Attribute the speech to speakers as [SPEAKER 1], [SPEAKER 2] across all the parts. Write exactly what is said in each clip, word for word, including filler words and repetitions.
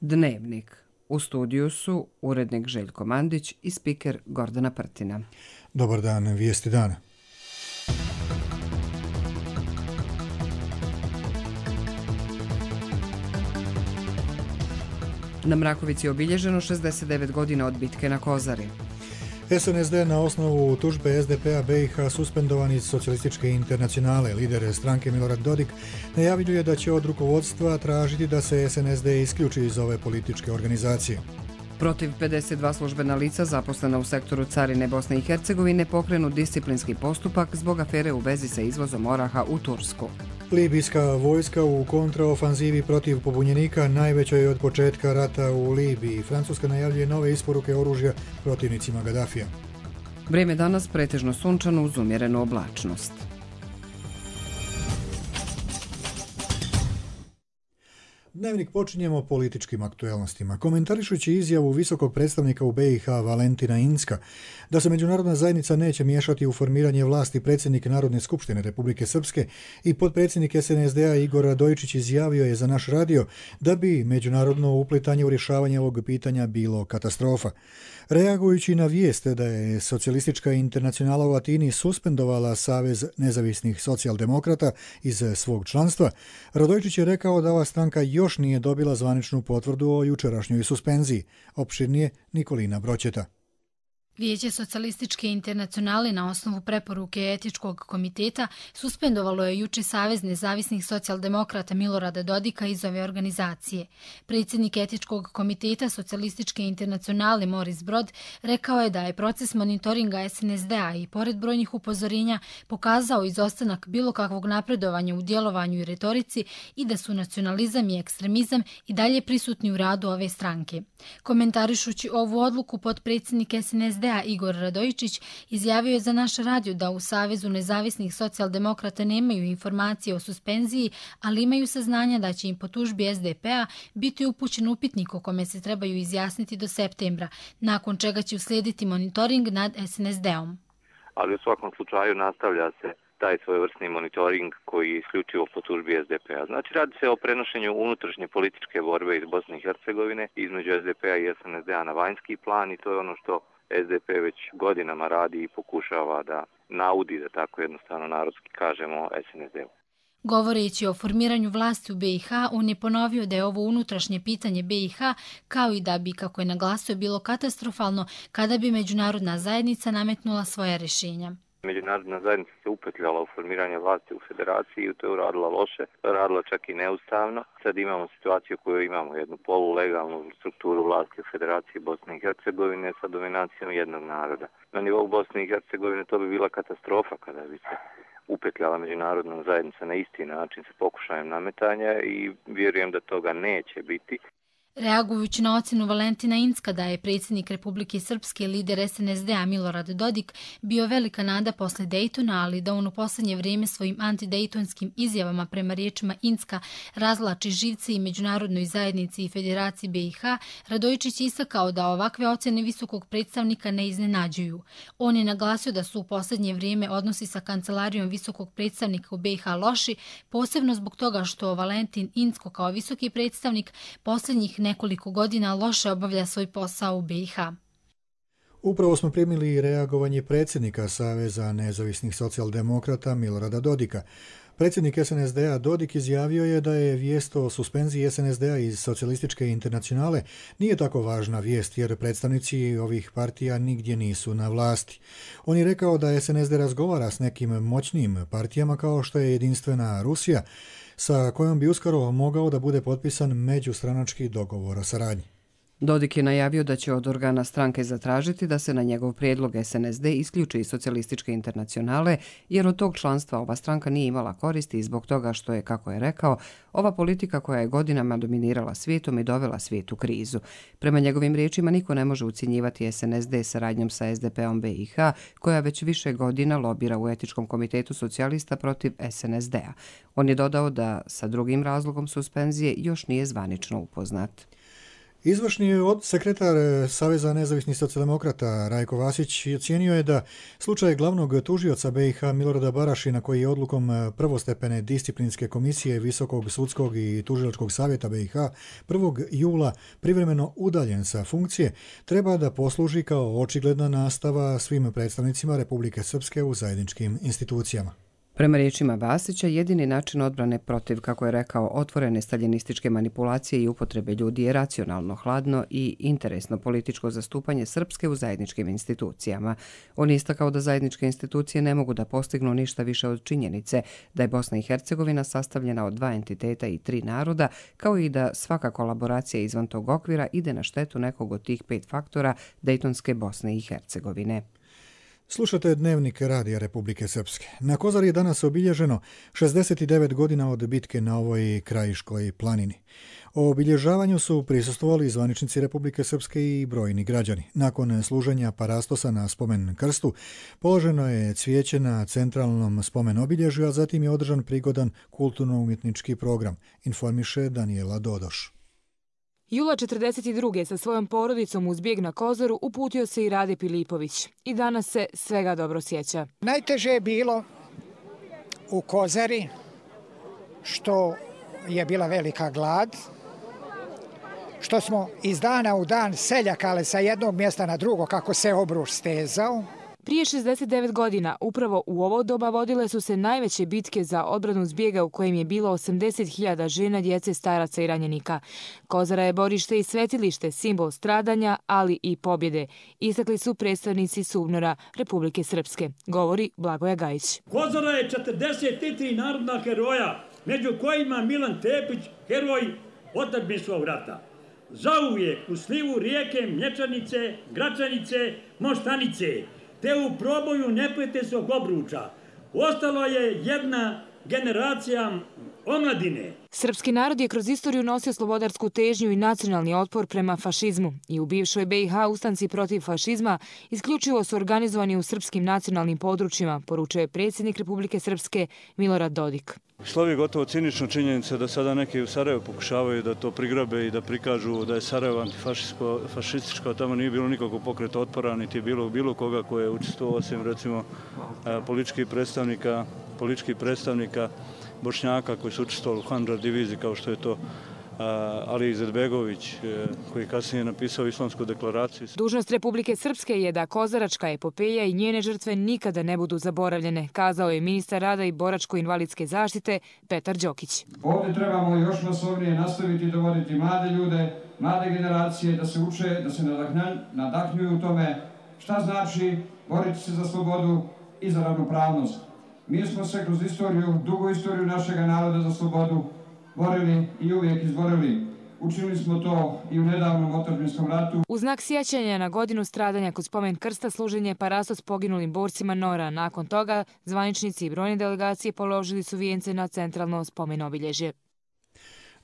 [SPEAKER 1] Dnevnik. U studiju su urednik Željko Mandić i spiker Gordana Prtina.
[SPEAKER 2] Dobar dan, vijesti dana.
[SPEAKER 1] Na Mrakovici je obilježeno šezdeset devet godina od bitke na Kozari.
[SPEAKER 2] S N S D na osnovu tužbe S D P-a B i H suspendovan iz Socijalističke internacionale. Lider stranke Milorad Dodik najavljuje da će od rukovodstva tražiti da se S N S D isključi iz ove političke organizacije.
[SPEAKER 1] Protiv pedeset dva službena lica zaposlena u sektoru carine Bosne i Hercegovine pokrenut disciplinski postupak zbog afere u vezi sa izvozom oraha u Tursku.
[SPEAKER 2] Libijska vojska u kontraofanzivi protiv pobunjenika, najvećoj od početka rata u Libiji. Francuska najavljuje nove isporuke oružja protivnicima Gadafija.
[SPEAKER 1] Vrijeme danas pretežno sunčano uz umjerenu oblačnost.
[SPEAKER 2] Dnevnik počinjemo političkim aktuelnostima. Komentarišući izjavu visokog predstavnika u B i H Valentina Incka da se međunarodna zajednica neće miješati u formiranje vlasti, predsjednik Narodne skupštine Republike Srpske i potpredsjednik S N S D-a Igor Radojičić izjavio je za naš radio da bi međunarodno uplitanje u rješavanje ovog pitanja bilo katastrofa. Reagujući na vijest da je Socijalistička internacionala u Atini suspendovala Savez nezavisnih socijaldemokrata iz svog članstva, Radojičić je rekao da ova stranka još nije dobila zvaničnu potvrdu o jučerašnjoj suspenziji. Opširnije Nikolina Broćeta.
[SPEAKER 3] Vijeće Socijalističke internacionale na osnovu preporuke Etičkog komiteta suspendovalo je juče Savez nezavisnih socijaldemokrata Milorada Dodika iz ove organizacije. Predsjednik Etičkog komiteta Socijalističke internacionale Moris Brod rekao je da je proces monitoringa S N S D-a i pored brojnih upozorenja pokazao izostanak bilo kakvog napredovanja u djelovanju i retorici i da su nacionalizam i ekstremizam i dalje prisutni u radu ove stranke. Komentarišući ovu odluku, potpredsjednik S N S D a Igor Radojičić izjavio je za naš radio da u Savezu nezavisnih socijaldemokrata nemaju informacije o suspenziji, ali imaju saznanja da će im po tužbi S D P-a biti upućen upitnik o kome se trebaju izjasniti do septembra, nakon čega će uslijediti monitoring nad S N S D-om.
[SPEAKER 4] Ali u svakom slučaju nastavlja se taj svojevrsni monitoring koji je isključivo po tužbi S D P-a. Znači, radi se o prenošenju unutrašnje političke borbe iz Bosne i Hercegovine između S D P-a i S N S D-a na vanjski plan i to je ono što S D P već godinama radi i pokušava da naudi, da tako jednostavno narodski kažemo, S N S D-u.
[SPEAKER 3] Govoreći o formiranju vlasti u B i H, on je ponovio da je ovo unutrašnje pitanje B i H, kao i da bi, kako je naglasio, bilo katastrofalno kada bi međunarodna zajednica nametnula svoja rješenja.
[SPEAKER 4] Međunarodna zajednica se upetljala u formiranje vlasti u federaciji i to je uradila loše, radila čak i neustavno. Sad imamo situaciju koju imamo, jednu polulegalnu strukturu vlasti u federaciji Bosne i Hercegovine sa dominacijom jednog naroda. Na nivou Bosne i Hercegovine to bi bila katastrofa kada bi se upetljala međunarodna zajednica na isti način sa pokušajem nametanja i vjerujem da toga neće biti.
[SPEAKER 3] Reagujući na ocjenu Valentina Incka da je predsjednik Republike Srpske, lider S N S D-a Milorad Dodik bio velika nada posle Dejtona, ali da on u posljednje vrijeme svojim antidejtonskim izjavama prema riječima Incka razlači živce i međunarodnoj zajednici i federaciji B i H, Radojičić istakao da ovakve ocjene visokog predstavnika ne iznenađuju. On je naglasio da su u posljednje vrijeme odnosi sa kancelarijom visokog predstavnika u B i H loši, posebno zbog toga što Valentin Incko kao visoki predstavnik posljednjih nekoliko godina loše obavlja svoj posao u B i H.
[SPEAKER 2] Upravo smo primili reagovanje predsjednika Saveza nezavisnih socijaldemokrata Milorada Dodika. Predsjednik S N S D-a Dodik izjavio je da je vijest o suspenziji S N S D-a iz Socijalističke internacionale nije tako važna vijest jer predstavnici ovih partija nigdje nisu na vlasti. On je rekao da S N S D razgovara s nekim moćnim partijama kao što je Jedinstvena Rusija, sa kojom bi uskoro mogao da bude potpisan međustranački dogovor o saradnji.
[SPEAKER 1] Dodik je najavio da će od organa stranke zatražiti da se na njegov prijedlog S N S D isključi iz Socijalističke internacionale, jer od tog članstva ova stranka nije imala koristi i zbog toga što je, kako je rekao, ova politika koja je godinama dominirala svijetom i dovela svijet u krizu. Prema njegovim riječima niko ne može ucjenjivati S N S D saradnjom sa S D P-om B i H, koja već više godina lobira u Etičkom komitetu socijalista protiv S N S D-a. On je dodao da sa drugim razlogom suspenzije još nije zvanično upoznat.
[SPEAKER 2] Izvršni sekretar Saveza nezavisnih socijaldemokrata Rajko Vasić ocijenio je da slučaj glavnog tužioca B i H Milorada Barašina, koji je odlukom prvostepene disciplinske komisije Visokog sudskog i tužilačkog savjeta B i H prvog jula privremeno udaljen sa funkcije, treba da posluži kao očigledna nastava svim predstavnicima Republike Srpske u zajedničkim institucijama.
[SPEAKER 1] Prema riječima Vasića, jedini način odbrane protiv, kako je rekao, otvorene staljinističke manipulacije i upotrebe ljudi je racionalno, hladno i interesno političko zastupanje Srpske u zajedničkim institucijama. On je istakao da zajedničke institucije ne mogu da postignu ništa više od činjenice da je Bosna i Hercegovina sastavljena od dva entiteta i tri naroda, kao i da svaka kolaboracija izvan tog okvira ide na štetu nekog od tih pet faktora Dejtonske Bosne i Hercegovine.
[SPEAKER 2] Slušate Dnevnik Radija Republike Srpske. Na Kozari je danas obilježeno šezdeset devet godina od bitke na ovoj Krajiškoj planini. O obilježavanju su prisustvovali zvaničnici Republike Srpske i brojni građani. Nakon služenja parastosa na spomen krstu, položeno je cvijeće na centralnom spomen obilježju, a zatim je održan prigodan kulturno-umjetnički program, informiše Danijela Dodoš.
[SPEAKER 5] Jula četrdeset druge sa svojom porodicom uz bijeg na Kozaru uputio se i Rade Pilipović. I danas se svega dobro sjeća.
[SPEAKER 6] Najteže je bilo u Kozari, što je bila velika glad, što smo iz dana u dan seljakale sa jednog mjesta na drugo kako se obruč stezao.
[SPEAKER 5] Prije šezdeset devet godina, upravo u ovo doba vodile su se najveće bitke za odbranu zbjega u kojem je bilo osamdeset hiljada žena, djece, staraca i ranjenika. Kozara je borište i svetilište, simbol stradanja, ali i pobjede. Istakli su predstavnici SUBNOR-a Republike Srpske, govori Blagoja Gajić.
[SPEAKER 7] Kozara je četrdeset tri narodna heroja, među kojima Milan Tepić, heroj otadžbinskog rata. Zauvijek u slivu rijeke Mlječanice, Gračanice, Moštanice, te u proboju neprijateljskog obruča. Ostalo je jedna generacija omladine.
[SPEAKER 5] Srpski narod je kroz istoriju nosio slobodarsku težnju i nacionalni otpor prema fašizmu. I u bivšoj B i H ustanci protiv fašizma isključivo su organizovani u srpskim nacionalnim područjima, poručuje predsjednik Republike Srpske Milorad Dodik.
[SPEAKER 8] Slovi gotovo cinično činjenica da sada neki u Sarajevu pokušavaju da to prigrabe i da prikažu da je Sarajevo antifašističko, a tamo nije bilo nikakvog pokreta otpora, niti je bilo bilo koga koje je učestvovao, osim recimo političkih predstavnika, političkih predstavnika Bošnjaka koji su učestvovali u Handžar diviziji, kao što je to Ali Izetbegović, koji je kasnije napisao Islamsku deklaraciju.
[SPEAKER 5] Dužnost Republike Srpske je da kozaračka epopeja i njene žrtve nikada ne budu zaboravljene, kazao je ministar rada i boračko-invalidske zaštite Petar Đokić.
[SPEAKER 9] Ovdje trebamo još masovnije nastaviti dovoditi mlade ljude, mlade generacije da se uče, da se nadahnjuju u tome šta znači boriti se za slobodu i za ravnopravnost. Mi smo se kroz istoriju, dugu istoriju našeg naroda za slobodu borili i uvijek izborili. Učinili smo to i u nedavnom otadžbinskom ratu.
[SPEAKER 5] U znak sjećanja na godinu stradanja kod spomen krsta služen je parastos poginulim borcima Nora. Nakon toga zvaničnici i brojne delegacije položili su vijence na centralno spomen obilježje.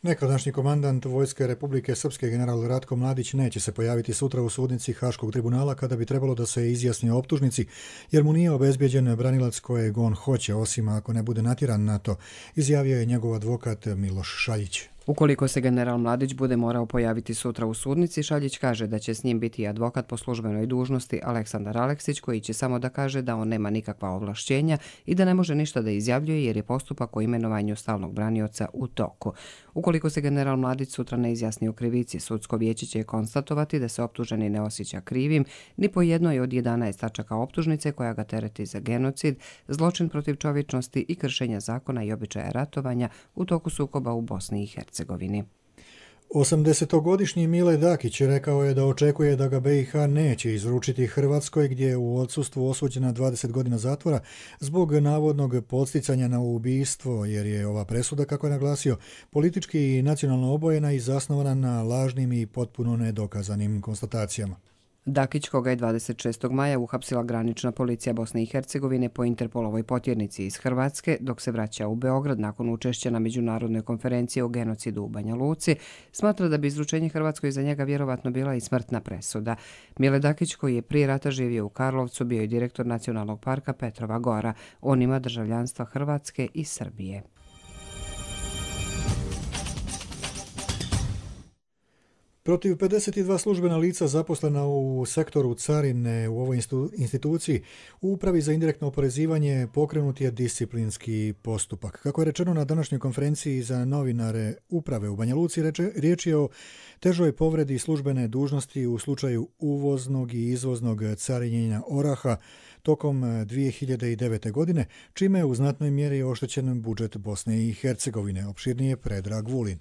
[SPEAKER 2] Nekadašnji komandant Vojske Republike Srpske general Ratko Mladić neće se pojaviti sutra u sudnici Haškog tribunala kada bi trebalo da se izjasni o optužnici, jer mu nije obezbijeđen branilac kojeg on hoće, osim ako ne bude natjeran na to, izjavio je njegov advokat Miloš Šaljić.
[SPEAKER 1] Ukoliko se general Mladić bude morao pojaviti sutra u sudnici, Šaljić kaže da će s njim biti advokat po službenoj dužnosti Aleksandar Aleksić, koji će samo da kaže da on nema nikakva ovlašćenja i da ne može ništa da izjavljuje jer je postupak o imenovanju stalnog branioca u toku. Ukoliko se general Mladić sutra ne izjasni o krivici, sudsko vijeće će konstatovati da se optuženi ne osjeća krivim ni po jednoj od jedanaest tačaka optužnice koja ga tereti za genocid, zločin protiv čovječnosti i kršenja zakona i običaja ratovanja u toku sukoba u Bosni i Hercegovini.
[SPEAKER 2] osamdesetogodišnji Mile Dakić rekao je da očekuje da ga B i H neće izručiti Hrvatskoj, gdje je u odsustvu osuđena dvadeset godina zatvora zbog navodnog podsticanja na ubistvo, jer je ova presuda, kako je naglasio, politički i nacionalno obojena i zasnovana na lažnim i potpuno nedokazanim konstatacijama.
[SPEAKER 1] Dakić, koga je dvadeset šestog maja uhapsila granična policija Bosne i Hercegovine po Interpolovoj potjernici iz Hrvatske, dok se vraća u Beograd nakon učešća na međunarodnoj konferenciji o genocidu u Banja Luci, smatra da bi izručenje Hrvatskoj za njega vjerovatno bila i smrtna presuda. Mile Dakić, koji je prije rata živio u Karlovcu, bio je direktor Nacionalnog parka Petrova Gora. On ima državljanstva Hrvatske i Srbije.
[SPEAKER 2] Protiv pedeset dva službena lica zaposlena u sektoru carine u ovoj instituciji u Upravi za indirektno oporezivanje pokrenut je disciplinski postupak. Kako je rečeno na današnjoj konferenciji za novinare Uprave u Banja Luci, riječ je o težoj povredi službene dužnosti u slučaju uvoznog i izvoznog carinjenja oraha tokom dvije hiljade devete. godine, čime je u znatnoj mjeri oštećen budžet Bosne i Hercegovine. Opširnije Predrag Vulin.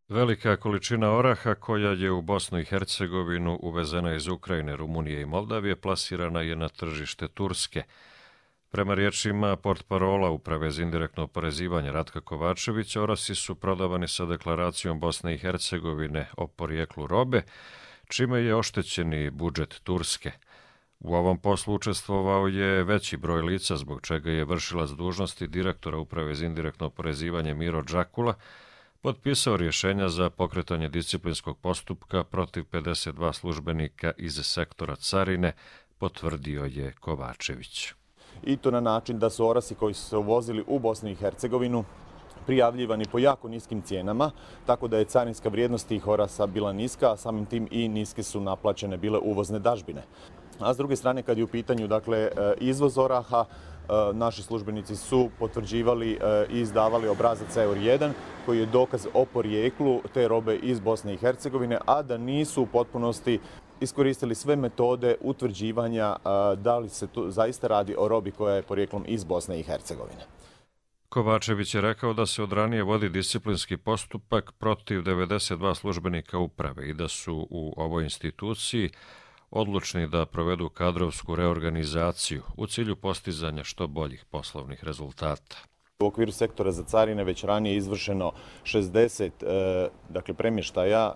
[SPEAKER 10] Velika količina oraha koja je u Bosnu i Hercegovinu uvezena iz Ukrajine, Rumunije i Moldavije plasirana je na tržište Turske. Prema riječima portparola Uprave za indirektno oporezivanje Ratka Kovačevića, orasi su prodavani sa deklaracijom Bosne i Hercegovine o porijeklu robe, čime je oštećeni budžet Turske. U ovom poslu učestvovao je veći broj lica, zbog čega je vršilac dužnosti direktora Uprave za indirektno oporezivanje Miro Džakula potpisao rješenja za pokretanje disciplinskog postupka protiv pedeset dva službenika iz sektora carine, potvrdio je Kovačević.
[SPEAKER 11] I to na način da su orasi koji su se uvozili u Bosnu i Hercegovinu prijavljivani po jako niskim cijenama, tako da je carinska vrijednost tih orasa bila niska, a samim tim i niske su naplaćene bile uvozne dažbine. A s druge strane, kad je u pitanju dakle, izvoz oraha, naši službenici su potvrđivali i izdavali obrazac E U R jedan koji je dokaz o porijeklu te robe iz Bosne i Hercegovine, a da nisu u potpunosti iskoristili sve metode utvrđivanja da li se tu zaista radi o robi koja je porijeklom iz Bosne i Hercegovine.
[SPEAKER 10] Kovačević je rekao da se od ranije vodi disciplinski postupak protiv devedeset dva službenika uprave i da su u ovoj instituciji odlučni da provedu kadrovsku reorganizaciju u cilju postizanja što boljih poslovnih rezultata.
[SPEAKER 11] U okviru sektora za carine već ranije izvršeno šezdeset dakle, premještaja,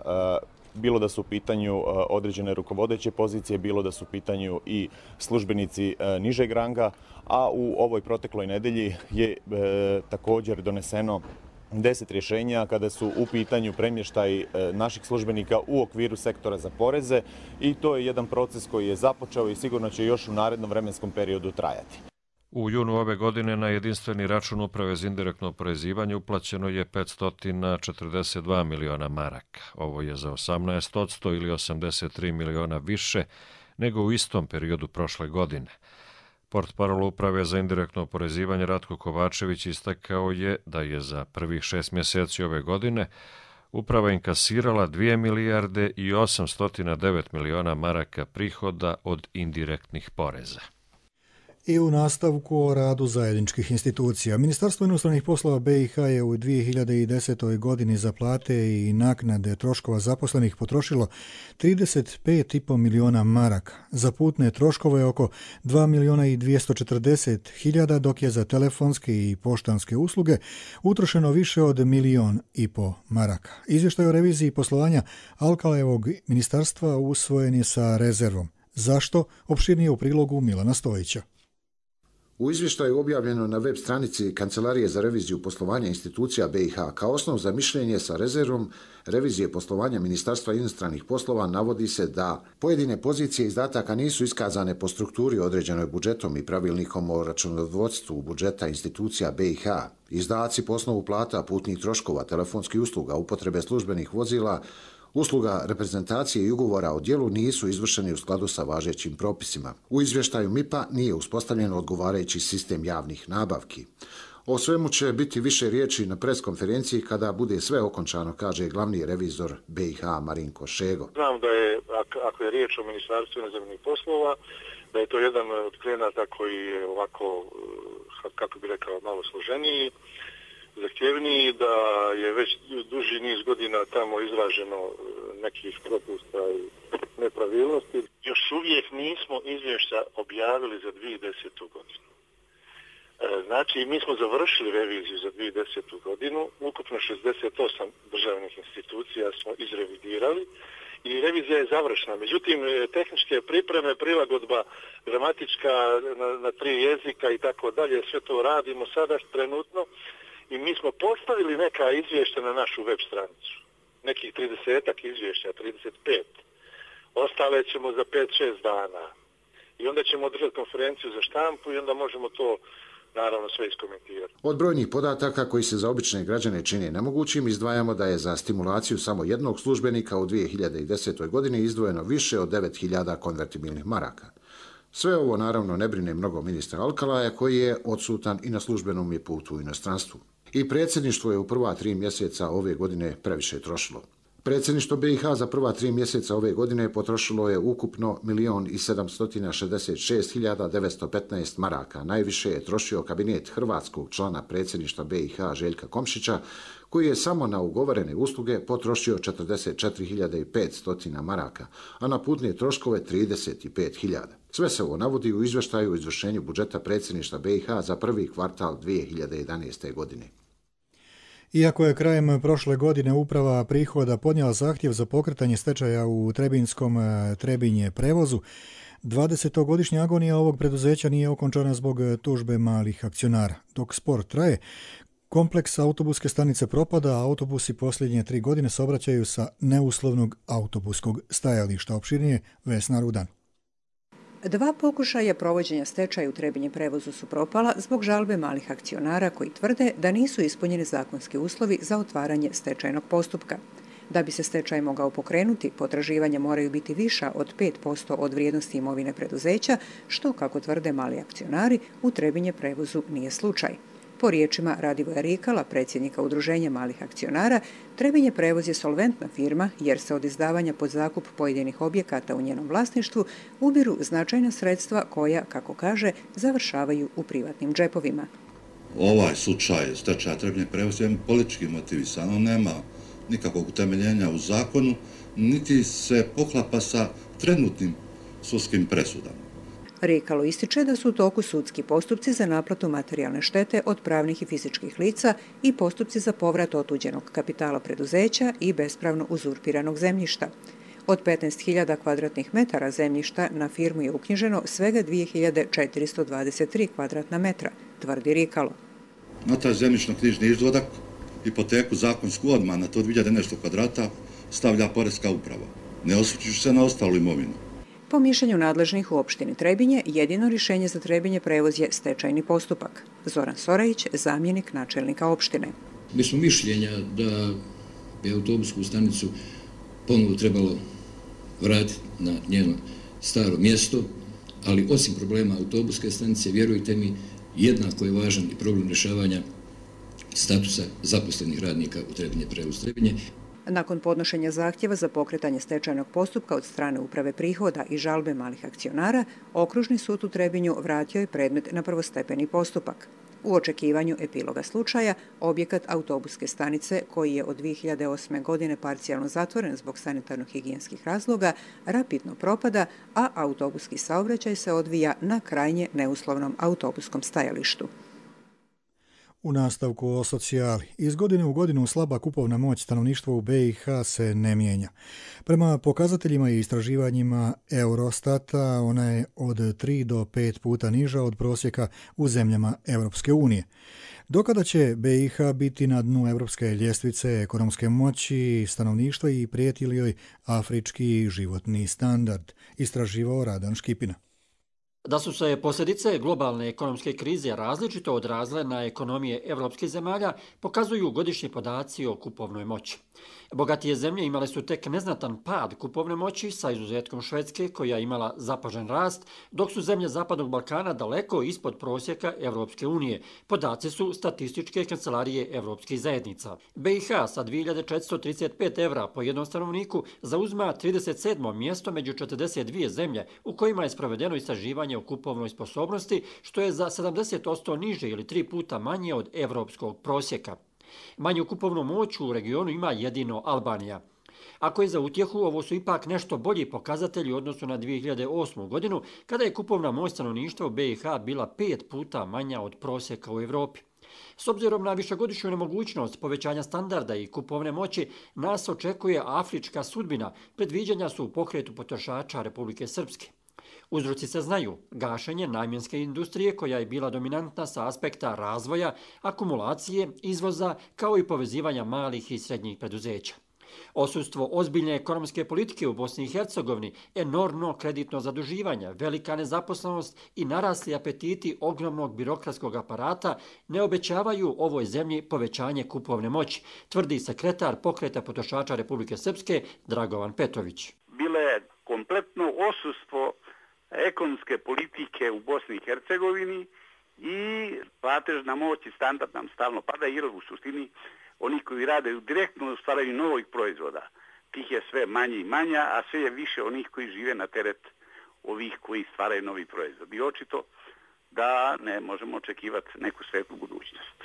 [SPEAKER 11] bilo da su u pitanju određene rukovodeće pozicije, bilo da su u pitanju i službenici nižeg ranga, a u ovoj protekloj nedelji je također doneseno deset rješenja kada su u pitanju premještaj naših službenika u okviru sektora za poreze i to je jedan proces koji je započeo i sigurno će još u narednom vremenskom periodu trajati.
[SPEAKER 10] U junu ove godine na jedinstveni račun Uprave za indirektno oporezivanje uplaćeno je petsto četrdeset dva miliona maraka. Ovo je za osamnaest posto ili osamdeset tri miliona više nego u istom periodu prošle godine. Portparol Uprave za indirektno oporezivanje Ratko Kovačević istakao je da je za prvih šest mjeseci ove godine uprava inkasirala dvije milijarde i osamsto devet miliona maraka prihoda od indirektnih poreza.
[SPEAKER 2] I u nastavku o radu zajedničkih institucija. Ministarstvo inostranih poslova B i H je u dvije hiljade desetoj. godini za plate i naknade troškova zaposlenih potrošilo trideset pet i po miliona maraka. Za putne troškove oko dva miliona i dvjesto četrdeset hiljada, dok je za telefonske i poštanske usluge utrošeno više od milion i po maraka. Izvještaj o reviziji poslovanja Alkalevog ministarstva usvojen je sa rezervom. Zašto? Opširnije u prilogu Milana Stojića.
[SPEAKER 12] U izvještaju objavljeno na web stranici Kancelarije za reviziju poslovanja institucija B i H kao osnov za mišljenje sa rezervom revizije poslovanja Ministarstva inostranih poslova navodi se da pojedine pozicije izdataka nisu iskazane po strukturi određenoj budžetom i pravilnikom o računovodstvu budžeta institucija B i H. Izdaci po osnovu plata, putnih troškova, telefonskih usluga, upotrebe službenih vozila, usluga reprezentacije i ugovora o djelu nisu izvršeni u skladu sa važećim propisima. U izvještaju M I P-a nije uspostavljen odgovarajući sistem javnih nabavki. O svemu će biti više riječi na preskonferenciji kada bude sve okončano, kaže glavni revizor B i H Marinko Šego.
[SPEAKER 13] Znam da je, ako je riječ o Ministarstvu inozemnih poslova, da je to jedan od klijenata koji je ovako, kako bi rekao, malo složeniji, zahtjevniji, da je već duži niz godina tamo izraženo nekih propusta i nepravilnosti. Još uvijek nismo izvješća objavili za dvije hiljade desetu. godinu. Znači, mi smo završili reviziju za dvije hiljade desetu. godinu, ukupno šezdeset osam državnih institucija smo izrevidirali i revizija je završena. Međutim, tehničke pripreme, prilagodba gramatička na, na tri jezika i tako dalje, sve to radimo sada trenutno. I mi smo postavili neka izvješća na našu web stranicu. Nekih tridesetak izvješća, trideset pet. Ostale ćemo za pet šest dana. I onda ćemo održati konferenciju za štampu i onda možemo to naravno sve iskomentirati.
[SPEAKER 12] Od brojnih podataka koji se za obične građane čine nemogućim, izdvajamo da je za stimulaciju samo jednog službenika u dvije hiljade desetoj. godini izdvojeno više od devet hiljada konvertibilnih maraka. Sve ovo naravno ne brine mnogo ministra Alkalaja, koji je odsutan i na službenom je putu u inostranstvu. I predsjedništvo je u prva tri mjeseca ove godine previše trošilo. Predsjedništvo B i H za prva tri mjeseca ove godine potrošilo je ukupno milion i sedamsto šezdeset šest hiljada devetsto petnaest maraka. Najviše je trošio kabinet hrvatskog člana predsjedništva B i H Željka Komšića, koji je samo na ugovorene usluge potrošio četrdeset četiri hiljade petsto maraka, a na putne troškove trideset pet hiljada. Sve se ovo navodi u izvještaju o izvršenju budžeta predsjedništva B i H za prvi kvartal dvije hiljade jedanaeste. godine.
[SPEAKER 2] Iako je krajem prošle godine uprava prihoda podnijela zahtjev za pokretanje stečaja u Trebinskom Trebinje prevozu, dvadesetogodišnja agonija ovog preduzeća nije okončana zbog tužbe malih akcionara. Dok spor traje, kompleks autobuske stanice propada, a autobusi posljednje tri godine se obraćaju sa neuslovnog autobuskog stajališta. Opširnije Vesna Rudan.
[SPEAKER 14] Dva pokušaja provođenja stečaja u Trebinje prevozu su propala zbog žalbe malih akcionara koji tvrde da nisu ispunjeni zakonski uslovi za otvaranje stečajnog postupka. Da bi se stečaj mogao pokrenuti, potraživanja moraju biti viša od pet posto od vrijednosti imovine preduzeća, što, kako tvrde mali akcionari, u Trebinje prevozu nije slučaj. Po riječima Radivoja Rikala, predsjednika Udruženja malih akcionara, Trebinje prevoz je solventna firma jer se od izdavanja pod zakup pojedinih objekata u njenom vlasništvu ubiru značajna sredstva koja, kako kaže, završavaju u privatnim džepovima.
[SPEAKER 15] Ovaj slučaj stečaja Trebinje prevoz je politički motivisan, on nema nikakvog utemeljenja u zakonu, niti se poklapa sa trenutnim sudskim presudama.
[SPEAKER 14] Rikalo ističe da su u toku sudski postupci za naplatu materijalne štete od pravnih i fizičkih lica i postupci za povrat otuđenog kapitala preduzeća i bespravno uzurpiranog zemljišta. Od petnaest hiljada kvadratnih metara zemljišta na firmu je uknjiženo svega dvije hiljade četiristo dvadeset tri kvadratna metra, tvrdi Rikalo.
[SPEAKER 15] Na taj zemljišno-knjižni izvodak, hipoteku zakonsku odmah na to dvije hiljade nešto kvadrata stavlja poreska uprava, ne osvrćući se na ostalu imovinu.
[SPEAKER 14] Po mišljenju nadležnih u opštini Trebinje, jedino rješenje za Trebinje prevoz je stečajni postupak. Zoran Sorajić, zamjenik načelnika opštine.
[SPEAKER 16] Mi smo mišljenja da bi autobusku stanicu ponovo trebalo vratiti na njeno staro mjesto, ali osim problema autobuske stanice, vjerujte mi, jednako je važan i problem rješavanja statusa zaposlenih radnika u Trebinje prevoz Trebinje.
[SPEAKER 14] Nakon podnošenja zahtjeva za pokretanje stečajnog postupka od strane uprave prihoda i žalbe malih akcionara, Okružni sud u Trebinju vratio je predmet na prvostepeni postupak. U očekivanju epiloga slučaja, objekat autobuske stanice, koji je od dvije hiljade osme. godine parcijalno zatvoren zbog sanitarno-higijenskih razloga, rapidno propada, a autobuski saobraćaj se odvija na krajnje neuslovnom autobuskom stajalištu.
[SPEAKER 2] U nastavku o socijali. Iz godine u godinu slaba kupovna moć stanovništva u B i H se ne mijenja. Prema pokazateljima i istraživanjima Eurostata, ona je od tri do pet puta niža od prosjeka u zemljama Europske unije. Dokada će B i H biti na dnu europske ljestvice ekonomske moći stanovništva i prijeti li joj afrički životni standard, istraživao Radan Škipina.
[SPEAKER 17] Da su se posljedice globalne ekonomske krize različito odrazile na ekonomije evropskih zemalja, pokazuju godišnji podaci o kupovnoj moći. Bogatije zemlje imale su tek neznatan pad kupovne moći sa izuzetkom Švedske, koja je imala zapažen rast, dok su zemlje Zapadnog Balkana daleko ispod prosjeka Evropske unije. Podaci su statističke kancelarije evropskih zajednica. B i H sa dvije hiljade četiristo trideset pet evra po jednom stanovniku zauzma trideset sedmo mjesto među četrdeset dvije zemlje u kojima je sprovedeno istraživanje o kupovnoj sposobnosti, što je za sedamdeset posto niže ili tri puta manje od evropskog prosjeka. Manju kupovnu moć u regionu ima jedino Albanija. Ako je za utjehu, ovo su ipak nešto bolji pokazatelji u odnosu na dvije hiljade osmu. godinu, kada je kupovna moć stanovništva u B i H bila pet puta manja od prosjeka u Evropi. S obzirom na višegodišnju nemogućnost povećanja standarda i kupovne moći, nas očekuje afrička sudbina. Predviđanja su u pokretu potrošača Republike Srpske. Uzroci se znaju, gašenje namjenske industrije koja je bila dominantna sa aspekta razvoja, akumulacije, izvoza, kao i povezivanja malih i srednjih preduzeća. Osustvo ozbiljne ekonomske politike u Bosni i Hercegovini, enormno kreditno zaduživanje, velika nezaposlenost i narasli apetiti ogromnog birokratskog aparata ne obećavaju ovoj zemlji povećanje kupovne moći, tvrdi sekretar Pokreta potrošača Republike Srpske Dragovan Petrović.
[SPEAKER 18] Bilo je kompletno osustvo ekonomske politike u Bosni i Hercegovini i platežna moć i standard nam stalno pada jer u suštini oni koji rade direktno u stvaranju novih proizvoda, tih je sve manje i manja, a sve je više onih koji žive na teret ovih koji stvaraju novi proizvod. I očito da ne možemo očekivati neku svetlu budućnost.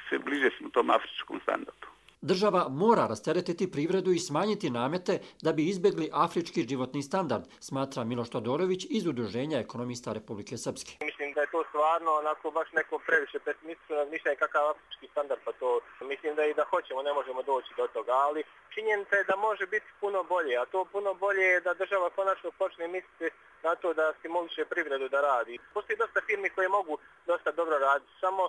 [SPEAKER 18] Sve bliže smo tom afričkom standardu.
[SPEAKER 17] Država mora rasteretiti privredu i smanjiti namete da bi izbjegli afrički životni standard, smatra Miloš Todorović iz Udruženja ekonomista Republike Srpske.
[SPEAKER 19] Mislim da je to stvarno onako baš neko previše pesimistično razmišljanje kakav afrički standard, pa to mislim da i da hoćemo ne možemo doći do toga, ali činjenica je da može biti puno bolje, a to puno bolje je da država konačno počne misliti na to da stimuliše privredu da radi. Postoji dosta firmi koje mogu dosta dobro raditi, samo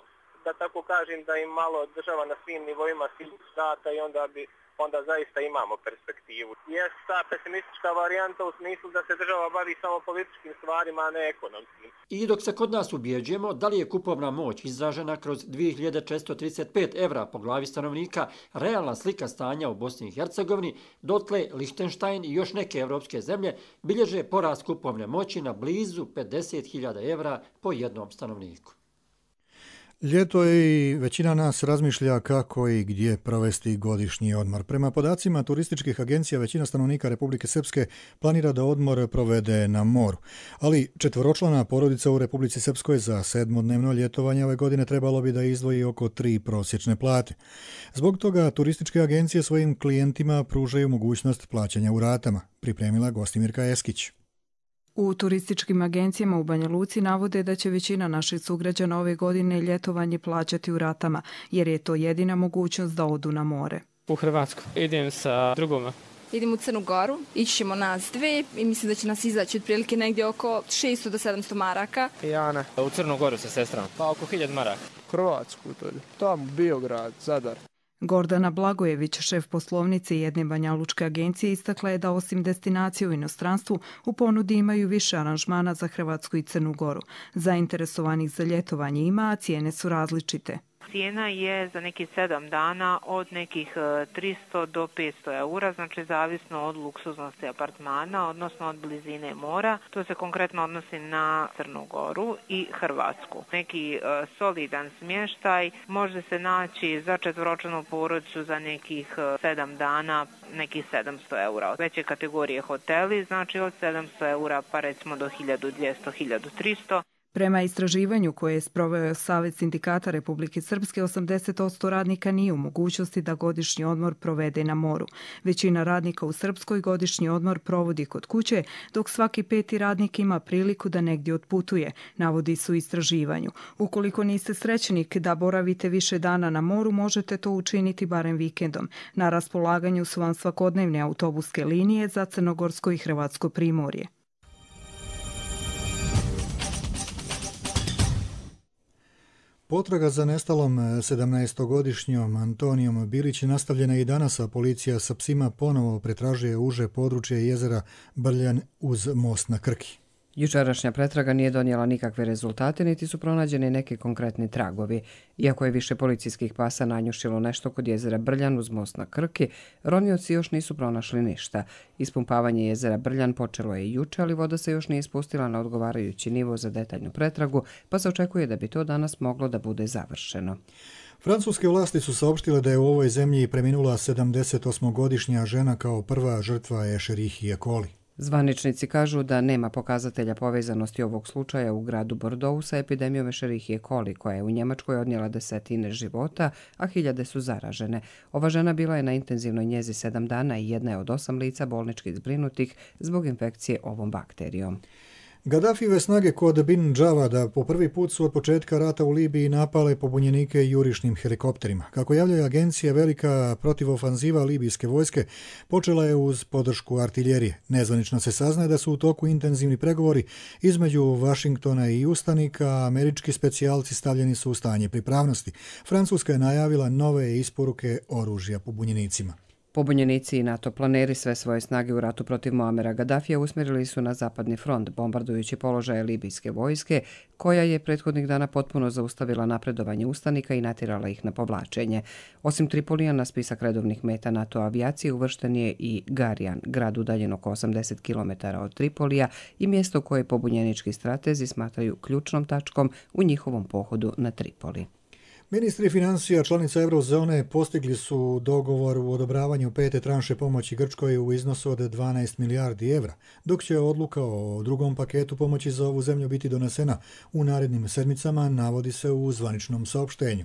[SPEAKER 19] da tako kažem da im malo država na svim nivoima stata i onda bi onda zaista imamo perspektivu. Jest ta pesimistička varijanta u smislu da se država bavi samo političkim stvarima, a ne ekonomskim.
[SPEAKER 17] I dok se kod nas ubjeđujemo da li je kupovna moć izražena kroz dvije hiljade četiristo trideset pet evra po glavi stanovnika realna slika stanja u Bosni i Hercegovini, dotle Lichtenstein i još neke evropske zemlje bilježe porast kupovne moći na blizu pedeset hiljada evra po jednom stanovniku.
[SPEAKER 2] Ljeto je i većina nas razmišlja kako i gdje provesti godišnji odmor. Prema podacima turističkih agencija, većina stanovnika Republike Srpske planira da odmor provede na moru. Ali četvoročlana porodica u Republici Srpskoj za sedmodnevno ljetovanje ove godine trebalo bi da izdvoji oko tri prosječne plate. Zbog toga turističke agencije svojim klijentima pružaju mogućnost plaćanja u ratama, pripremila Gostimirka Eskić.
[SPEAKER 20] U turističkim agencijama u Banja Luci navode da će većina naših sugrađana ove godine ljetovanje plaćati u ratama, jer je to jedina mogućnost da odu na more.
[SPEAKER 21] U Hrvatsku. Idem sa drugoma.
[SPEAKER 22] Idem u Crnu Goru, ići ćemo nas dve i mislim da će nas izaći otprilike negdje oko šesto do sedamsto maraka.
[SPEAKER 21] Ja ne. U Crnu Goru sa sestrom, pa oko hiljadu maraka.
[SPEAKER 23] Hrvatsku, to je tamo Biograd, Zadar.
[SPEAKER 20] Gordana Blagojević, šef poslovnice jedne banjalučke agencije, istakla je da osim destinacije u inostranstvu u ponudi imaju više aranžmana za Hrvatsku i Crnu Goru. Zainteresovanih za ljetovanje ima, a cijene su različite.
[SPEAKER 24] Cijena je za nekih sedam dana od nekih tristo do petsto eura, znači zavisno od luksuznosti apartmana, odnosno od blizine mora. To se konkretno odnosi na Crnu Goru i Hrvatsku. Neki uh, solidan smještaj može se naći za četvoročlanu porodicu za nekih uh, sedam dana, nekih sedamsto eura. Veće kategorije hoteli, znači od sedamsto eura pa recimo do hiljadu dvjesto do hiljadu tristo.
[SPEAKER 20] Prema istraživanju koje je sproveo Savez sindikata Republike Srpske, osamdeset posto radnika nije u mogućnosti da godišnji odmor provede na moru. Većina radnika u Srpskoj godišnji odmor provodi kod kuće, dok svaki peti radnik ima priliku da negdje otputuje, navodi su u istraživanju. Ukoliko niste srećnik da boravite više dana na moru, možete to učiniti barem vikendom. Na raspolaganju su vam svakodnevne autobuske linije za Crnogorsko i Hrvatsko primorje.
[SPEAKER 2] Potraga za nestalom sedamnaestogodišnjom Antonijom Bilić nastavljena i danas, a policija sa psima ponovo pretražuje uže područje jezera Brljan uz most na Krki.
[SPEAKER 1] Jučerašnja pretraga nije donijela nikakve rezultate, niti su pronađeni neki konkretni tragovi. Iako je više policijskih pasa nanjušilo nešto kod jezera Brljan uz most na Krki, ronioci još nisu pronašli ništa. Ispumpavanje jezera Brljan počelo je i juče, ali voda se još nije spustila na odgovarajući nivo za detaljnu pretragu, pa se očekuje da bi to danas moglo da bude završeno.
[SPEAKER 2] Francuske vlasti su saopštile da je u ovoj zemlji preminula sedamdesetosmogodišnja žena kao prva žrtva Escherichia coli.
[SPEAKER 1] Zvaničnici kažu da nema pokazatelja povezanosti ovog slučaja u gradu Bordeaux sa epidemijom Escherichia coli, koja je u Njemačkoj odnijela desetine života, a hiljade su zaražene. Ova žena bila je na intenzivnoj njezi sedam dana i jedna je od osam lica bolnički zbrinutih zbog infekcije ovom bakterijom.
[SPEAKER 2] Gaddafive snage kod Bin Džavada po prvi put su od početka rata u Libiji napale pobunjenike jurišnim helikopterima. Kako javljaju agencije, velika protivofanziva libijske vojske počela je uz podršku artiljerije. Nezvanično se saznaje da su u toku intenzivni pregovori između Vašingtona i ustanika, a američki specijalci stavljeni su u stanje pripravnosti. Francuska je najavila nove isporuke oružja pobunjenicima.
[SPEAKER 1] Pobunjenici i NATO planeri sve svoje snage u ratu protiv Muamera Gaddafija usmjerili su na zapadni front, bombardujući položaje libijske vojske, koja je prethodnih dana potpuno zaustavila napredovanje ustanika i natjerala ih na povlačenje. Osim Tripolija, na spisak redovnih meta NATO avijacije uvršten je i Garijan, grad udaljen oko osamdeset kilometara od Tripolija i mjesto koje pobunjenički stratezi smatraju ključnom tačkom u njihovom pohodu na Tripoli.
[SPEAKER 2] Ministri financija članica Eurozone postigli su dogovor u odobravanju pete tranše pomoći Grčkoj u iznosu od dvanaest milijardi evra, dok će odluka o drugom paketu pomoći za ovu zemlju biti donesena u narednim sedmicama, navodi se u zvaničnom saopštenju.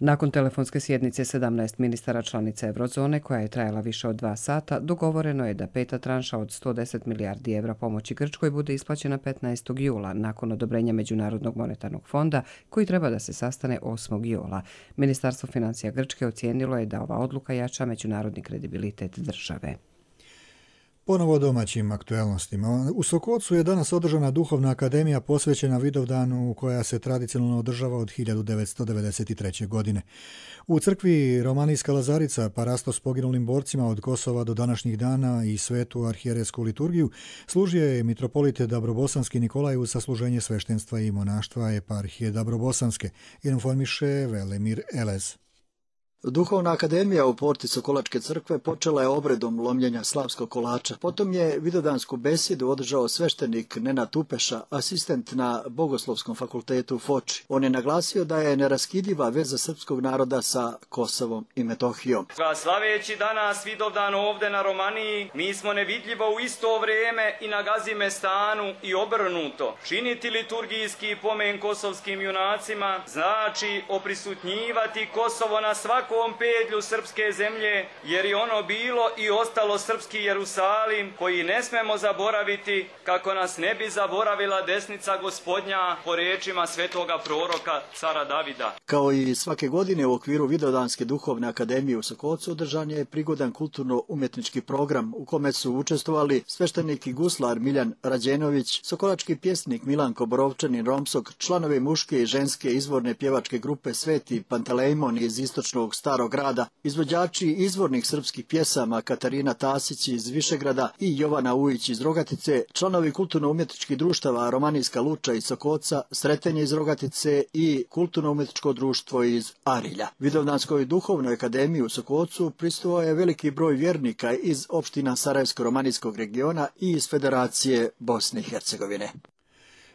[SPEAKER 1] Nakon telefonske sjednice sedamnaest ministara članica Eurozone, koja je trajala više od dva sata, dogovoreno je da peta tranša od sto deset milijardi evra pomoći Grčkoj bude isplaćena petnaestog jula, nakon odobrenja Međunarodnog monetarnog fonda, koji treba da se sastane osmog jula. Ministarstvo financija Grčke ocijenilo je da ova odluka jača međunarodni kredibilitet države.
[SPEAKER 2] Ponovo domaćim aktuelnostima. U Sokocu je danas održana duhovna akademija posvećena Vidovdanu, koja se tradicionalno održava od hiljadu devetsto devedeset treće. godine. U crkvi Romanijska Lazarica, parasto s poginulim borcima od Kosova do današnjih dana i svetu arhijerejsku liturgiju, služio je mitropolit Dabrobosanski Nikolaj uz sasluženje sveštenstva i monaštva eparhije Dabrobosanske, informiše Velemir Elez.
[SPEAKER 3] Duhovna akademija u porti Sokolačke crkve počela je obredom lomljenja slavskog kolača. Potom je vidovdansku besjedu održao sveštenik Nenad Tupeša, asistent na Bogoslovskom fakultetu u Foči. On je naglasio da je neraskidiva veza srpskog naroda sa Kosovom i Metohijom.
[SPEAKER 4] Slaveći danas Vidovdan ovde na Romaniji, mi smo nevidljivo u isto vrijeme i na Gazimestanu i obrnuto. Činiti liturgijski pomen kosovskim junacima znači oprisutnjivati Kosovo na svakom pedlju srpske zemlje, jer je ono bilo i ostalo srpski Jerusalim, koji ne smemo zaboraviti, kako nas ne bi zaboravila desnica Gospodnja, po rečima svetoga proroka cara Davida.
[SPEAKER 3] Kao i svake godine u okviru Vidovdanske duhovne akademije u Sokocu održan je prigodan kulturno-umjetnički program u kome su učestvovali sveštenik i guslar Miljan Rađenović, sokolački pjesnik Milanko Borovčanin Romsok, članovi muške i ženske izvorne pjevačke grupe Sveti Pantelejmon iz istočnog Starog grada, izvođači izvornih srpskih pjesama Katarina Tasić iz Višegrada i Jovana Ujić iz Rogatice, članovi kulturno-umjetničkih društava Romanijska Luča iz Sokoca, Sretenje iz Rogatice i kulturno-umjetničko društvo iz Arilja. Vidovdanskoj duhovnoj akademiji u Sokocu prisustvovao je veliki broj vjernika iz opština Sarajevsko-romanijskog regiona i iz Federacije Bosne i Hercegovine.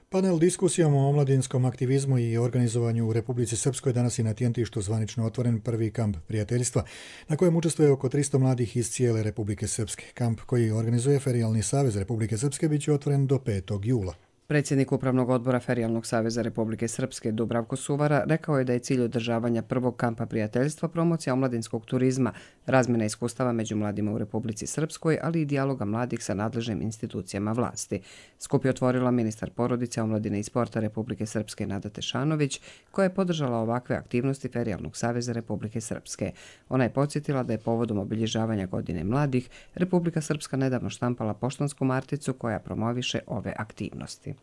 [SPEAKER 2] Panel diskusijom o omladinskom aktivizmu i organizovanju u Republici Srpskoj danas je na Tjentištu zvanično otvoren prvi kamp prijateljstva, na kojem učestvuje oko tristo mladih iz cijele Republike Srpske. Kamp koji organizuje Ferijalni savez Republike Srpske bit će otvoren do petog jula.
[SPEAKER 1] Predsjednik Upravnog odbora Ferijalnog saveza Republike Srpske Dubravko Suvara rekao je da je cilj održavanja prvog kampa prijateljstva promocija omladinskog turizma, razmjena iskustava među mladima u Republici Srpskoj, ali i dijaloga mladih sa nadležnim institucijama vlasti. Skup je otvorila ministar porodice, omladine i sporta Republike Srpske Nada Tešanović, koja je podržala ovakve aktivnosti Ferijalnog saveza Republike Srpske. Ona je podsjetila da je povodom obilježavanja godine mladih Republika Srpska nedavno štampala poštansku marticu koja promoviše ove aktivnosti.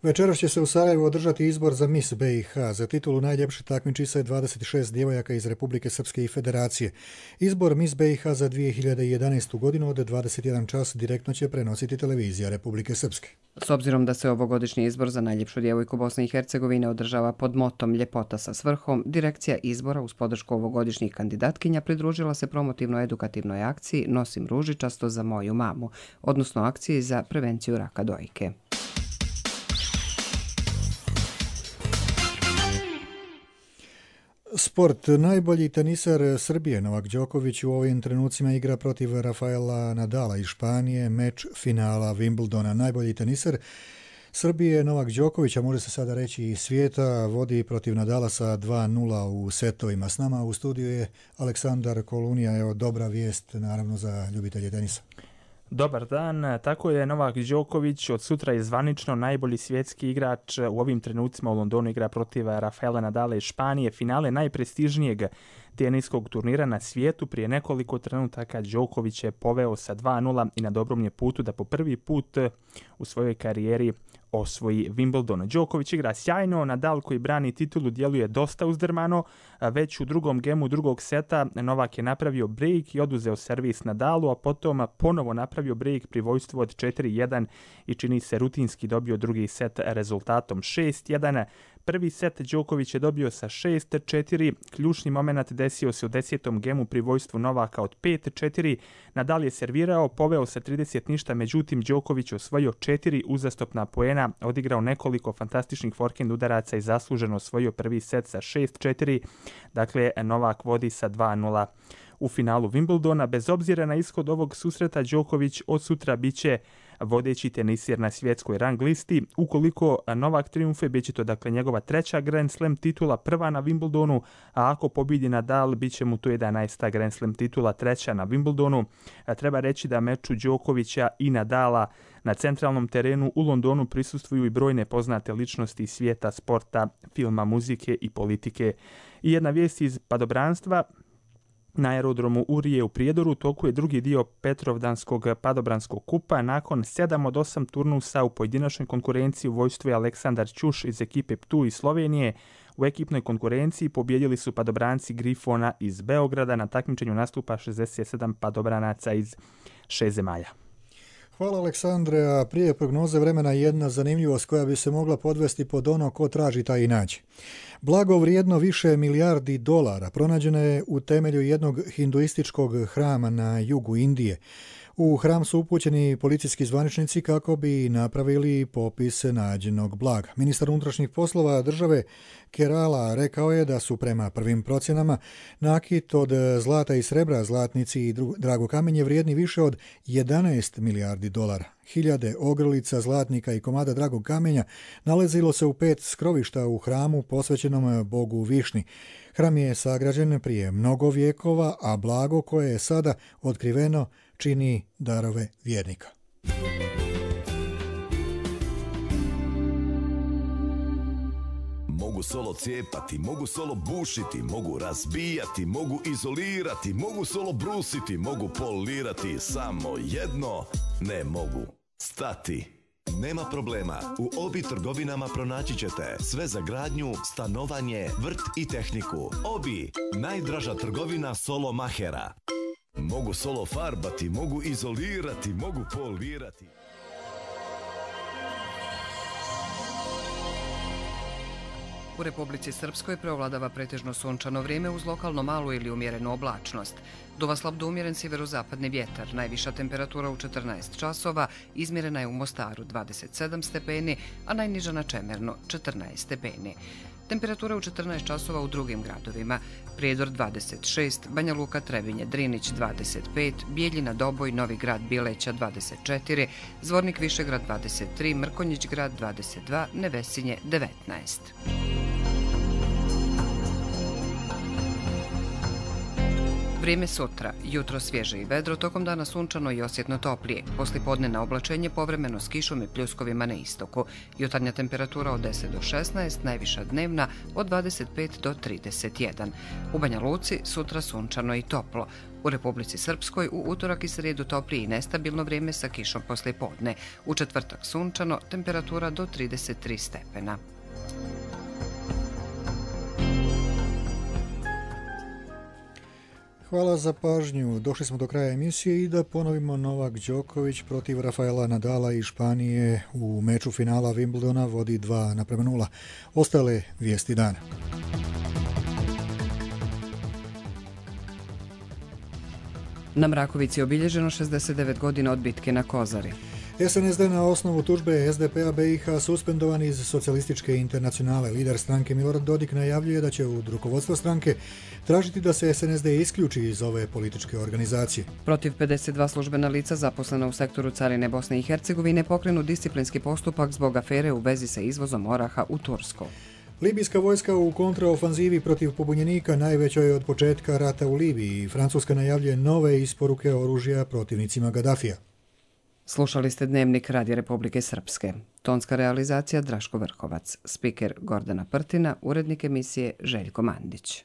[SPEAKER 2] Večeras će se u Sarajevu održati izbor za Miss B i H. Za titulu najljepše takmiči dvadeset šest djevojaka iz Republike Srpske i Federacije. Izbor Miss B i H za dvije hiljade jedanaestu. godinu od dvadeset jedan čas direktno će prenositi televizija Republike Srpske.
[SPEAKER 1] S obzirom da se ovogodišnji izbor za najljepšu djevojku Bosne i Hercegovine održava pod motom Ljepota sa svrhom, direkcija izbora uz podršku ovogodišnjih kandidatkinja pridružila se promotivno-edukativnoj akciji Nosim ružičasto za moju mamu, odnosno akciji za prevenciju raka dojke.
[SPEAKER 2] Sport. Najbolji teniser Srbije Novak Đoković u ovim trenucima igra protiv Rafaela Nadala iz Španije, meč finala Wimbledona. Najbolji teniser Srbije Novak Đoković, a može se sada reći i svijeta, vodi protiv Nadala sa dva nula u setovima. S nama u studiju je Aleksandar Kolunija. Evo, dobra vijest naravno za ljubitelje tenisa.
[SPEAKER 6] Dobar dan, tako je Novak Đoković od sutra je zvanično najbolji svjetski igrač. U ovim trenucima u Londonu igra protiv Rafaela Nadala iz Španije, finale najprestižnijeg teniskog turnira na svijetu. Prije nekoliko trenutaka Đoković je poveo sa dva nula i na dobrom je putu da po prvi put u svojoj karijeri osvoji Wimbledon. Đoković igra sjajno, Nadal koji brani titulu djeluje dosta uzdrmano, već u drugom gemu drugog seta Novak je napravio break i oduzeo servis Nadalu, a potom ponovo napravio break pri vojstvu od četiri jedan i čini se rutinski dobio drugi set rezultatom šest jedan. Prvi set Đoković je dobio sa šest četiri, ključni moment desio se u desetom gemu pri vojstvu Novaka od pet četiri. Nadal je servirao, poveo sa trideset ništa, međutim Đoković osvojio četiri uzastopna poena, odigrao nekoliko fantastičnih forehand udaraca i zasluženo osvojio prvi set sa šest četiri. Dakle, Novak vodi sa dva nula u finalu Wimbledona. Bez obzira na ishod ovog susreta, Đoković od sutra biće vodeći tenisir na svjetskoj rang listi. Ukoliko Novak triumfe, bit će to dakle njegova treća Grand Slam titula, prva na Wimbledonu, a ako pobjedi Nadal, bit će mu to jedanaesta Grand Slam titula, treća na Wimbledonu. A treba reći da meču Đokovića i Nadala na centralnom terenu u Londonu prisustvuju i brojne poznate ličnosti svijeta sporta, filma, muzike i politike. I jedna vijest iz padobranstva. Na aerodromu Urije u Prijedoru toku je drugi dio Petrovdanskog padobranskog kupa. Nakon sedam od osam turnusa u pojedinačnoj konkurenciji u vojstvu je Aleksandar Ćuš iz ekipe Ptu iz Slovenije. U ekipnoj konkurenciji pobjedili su padobranci Grifona iz Beograda. Na takmičenju nastupa šezdeset sedam padobranaca iz šest zemalja.
[SPEAKER 2] Hvala Aleksandre, a prije prognoze vremena jedna zanimljivost koja bi se mogla podvesti pod ono ko traži taj i nađe. Blago vrijedno više milijardi dolara pronađeno je u temelju jednog hinduističkog hrama na jugu Indije. U hram su upućeni policijski zvaničnici kako bi napravili popis nađenog blaga. Ministar unutrašnjih poslova države Kerala rekao je da su prema prvim procjenama nakit od zlata i srebra, zlatnici i drago kamenje vrijedni više od jedanaest milijardi dolara. Hiljade ogrlica, zlatnika i komada dragog kamenja nalazilo se u pet skrovišta u hramu posvećenom Bogu Višni. Hram je sagrađen prije mnogo vjekova, a blago koje je sada otkriveno čini darove vjernika.
[SPEAKER 5] Mogu solo cijepati, mogu solo bušiti, mogu razbijati, mogu izolirati, mogu solo brusiti, mogu polirati, samo jedno ne mogu stati. Nema problema, u Obi trgovinama pronaći ćete sve za gradnju, stanovanje, vrt i tehniku. Obi, najdraža trgovina solo mahera. Mogu solo farbati, mogu izolirati, mogu polirati.
[SPEAKER 1] U Republici Srpskoj preovladava pretežno sunčano vrijeme uz lokalno malu ili umjerenu oblačnost. Duva slab do umjeren sjeverozapadni vjetar. Najviša temperatura u četrnaest časova, izmjerena je u Mostaru dvadeset sedam stepeni, a najniža na Čemernu četrnaest stepeni. Temperatura u četrnaest časova u drugim gradovima. Prijedor dvadeset šest, Banja Luka, Trebinje, Drinić dvadeset pet, Bijeljina, Doboj, Novi Grad, Bileća dvadeset četiri, Zvornik, Višegrad dvadeset tri, Mrkonjić Grad dvadeset dva, Nevesinje devetnaest. Vrijeme sutra. Jutro svježe i vedro, tokom dana sunčano i osjetno toplije. Poslijepodne na oblačenje povremeno s kišom i pljuskovima na istoku. Jutarnja temperatura od deset do šesnaest, najviša dnevna od dvadeset pet do trideset jedan. U Banja Luci sutra sunčano i toplo. U Republici Srpskoj u utorak i srijedu toplije i nestabilno vrijeme sa kišom poslijepodne. U četvrtak sunčano, temperatura do trideset tri stepena.
[SPEAKER 2] Hvala za pažnju. Došli smo do kraja emisije i da ponovimo, Novak Đoković protiv Rafaela Nadala iz Španije u meču finala Wimbledona vodi dva naprema nula. Ostale vijesti dana.
[SPEAKER 1] Na Mrakovici je obilježeno šezdeset devet godina od bitke na Kozari.
[SPEAKER 2] S N S D na osnovu tužbe S D P-a B i H suspendovan iz Socijalističke internacionale. Lider stranke Milorad Dodik najavljuje da će od rukovodstva stranke tražiti da se S N S D isključi iz ove političke organizacije.
[SPEAKER 1] Protiv pedeset dva službena lica zaposlena u sektoru carine Bosne i Hercegovine pokrenu disciplinski postupak zbog afere u vezi sa izvozom oraha u Tursku.
[SPEAKER 2] Libijska vojska u kontraofanzivi protiv pobunjenika najvećoj od početka rata u Libiji. Francuska najavljuje nove isporuke oružja protivnicima Gaddafija.
[SPEAKER 1] Slušali ste Dnevnik Radija Republike Srpske. Tonska realizacija Draško Vrhovac. Spiker Gordana Prtina, urednik emisije Željko Mandić.